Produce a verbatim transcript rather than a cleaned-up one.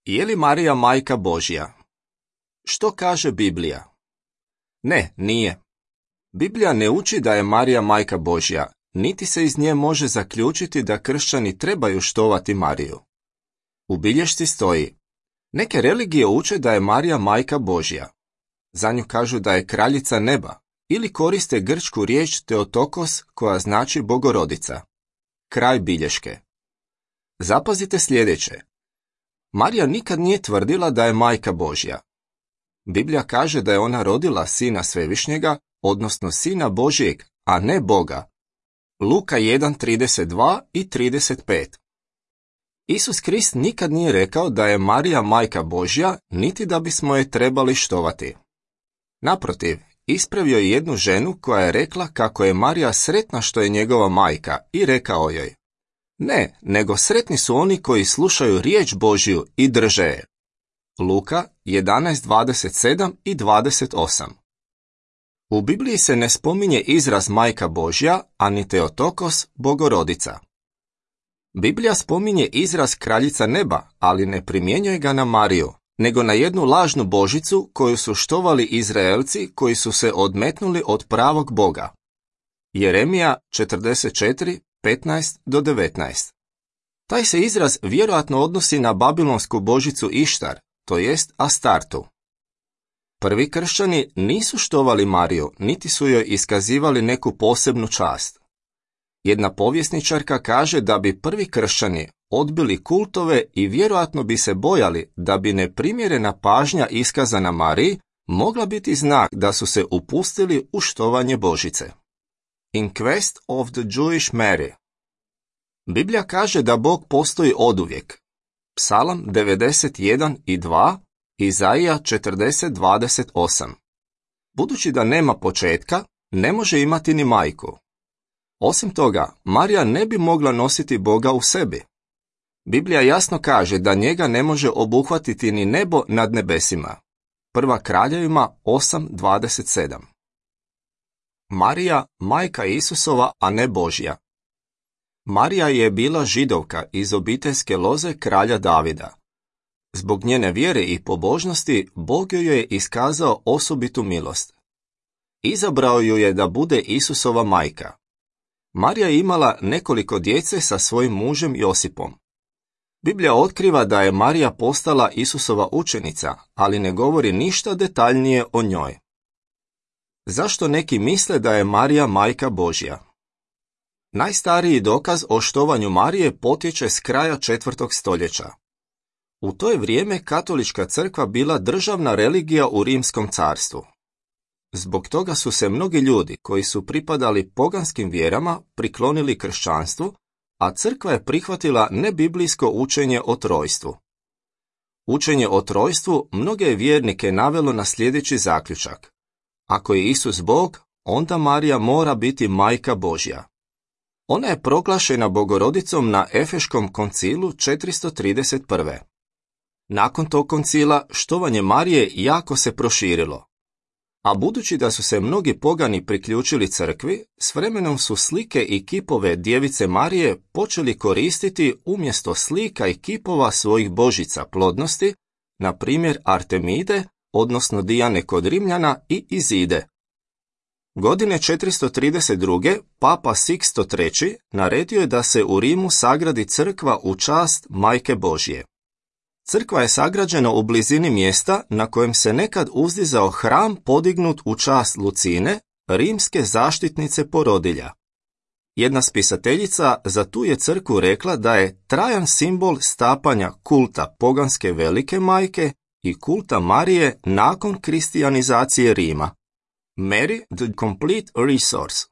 Je li Marija majka Božja? Što kaže Biblija? Ne, nije. Biblija ne uči da je Marija majka Božja, niti se iz nje može zaključiti da kršćani trebaju štovati Mariju. U bilješci stoji: neke religije uče da je Marija majka Božja. Za nju kažu da je kraljica neba, ili koriste grčku riječ Teotokos koja znači bogorodica. Kraj bilješke. Zapazite sljedeće. Marija nikad nije tvrdila da je majka Božja. Biblija kaže da je ona rodila sina Svevišnjega, odnosno sina Božjeg, a ne Boga. Luka jedan trideset dva i trideset pet. Isus Krist nikad nije rekao da je Marija majka Božja, niti da bismo je trebali štovati. Naprotiv, ispravio je jednu ženu koja je rekla kako je Marija sretna što je njegova majka i rekao joj: ne, nego sretni su oni koji slušaju riječ Božju i drže je. Luka jedanaest dvadeset sedam i dvadeset osam. U Bibliji se ne spominje izraz majka Božja, ani Teotokos, bogorodica. Biblija spominje izraz kraljica neba, ali ne primjenjuje ga na Mariju, nego na jednu lažnu božicu koju su štovali Izraelci koji su se odmetnuli od pravog Boga. Jeremija četrdeset četiri, petnaest do devetnaest. Taj se izraz vjerojatno odnosi na babilonsku božicu Ištar, to jest Astartu. Prvi kršćani nisu štovali Mariju, niti su joj iskazivali neku posebnu čast. Jedna povjesničarka kaže da bi prvi kršćani odbili kultove i vjerojatno bi se bojali da bi neprimjerena pažnja iskazana Mariji mogla biti znak da su se upustili u štovanje Božice. In quest of the Jewish Mary. Biblija kaže da Bog postoji oduvijek. Psalam devedeset jedan i dva, Izaija četrdeset dvadeset osam. Budući da nema početka, ne može imati ni majku. Osim toga, Marija ne bi mogla nositi Boga u sebi. Biblija jasno kaže da njega ne može obuhvatiti ni nebo nad nebesima. Prva Kraljevima osam dvadeset sedam. Marija, majka Isusova, a ne Božja. Marija je bila Židovka iz obiteljske loze kralja Davida. Zbog njene vjere i pobožnosti, Bog joj je iskazao osobitu milost. Izabrao ju je da bude Isusova majka. Marija je imala nekoliko djece sa svojim mužem Josipom. Biblija otkriva da je Marija postala Isusova učenica, ali ne govori ništa detaljnije o njoj. Zašto neki misle da je Marija majka Božja? Najstariji dokaz o štovanju Marije potječe s kraja četvrtog stoljeća. U to je vrijeme katolička crkva bila državna religija u Rimskom carstvu. Zbog toga su se mnogi ljudi koji su pripadali poganskim vjerama priklonili kršćanstvu, a crkva je prihvatila nebiblijsko učenje o trojstvu. Učenje o trojstvu mnoge je vjernike navelo na sljedeći zaključak: ako je Isus Bog, onda Marija mora biti majka Božja. Ona je proglašena bogorodicom na Efeškom koncilu četiristo trideset prve. Nakon tog koncila štovanje Marije jako se proširilo. A budući da su se mnogi pogani priključili crkvi, s vremenom su slike i kipove Djevice Marije počeli koristiti umjesto slika i kipova svojih božica plodnosti, na primjer Artemide, odnosno Dijane kod Rimljana, i Izide. Godine četiristo trideset druge. Papa Siksto treći. naredio je da se u Rimu sagradi crkva u čast Majke Božje. Crkva je sagrađena u blizini mjesta na kojem se nekad uzdizao hram podignut u čast Lucine, rimske zaštitnice porodilja. Jedna spisateljica za tu je crkvu rekla da je trajan simbol stapanja kulta poganske velike majke i kulta Marije nakon kristijanizacije Rima. Mary, the complete resource.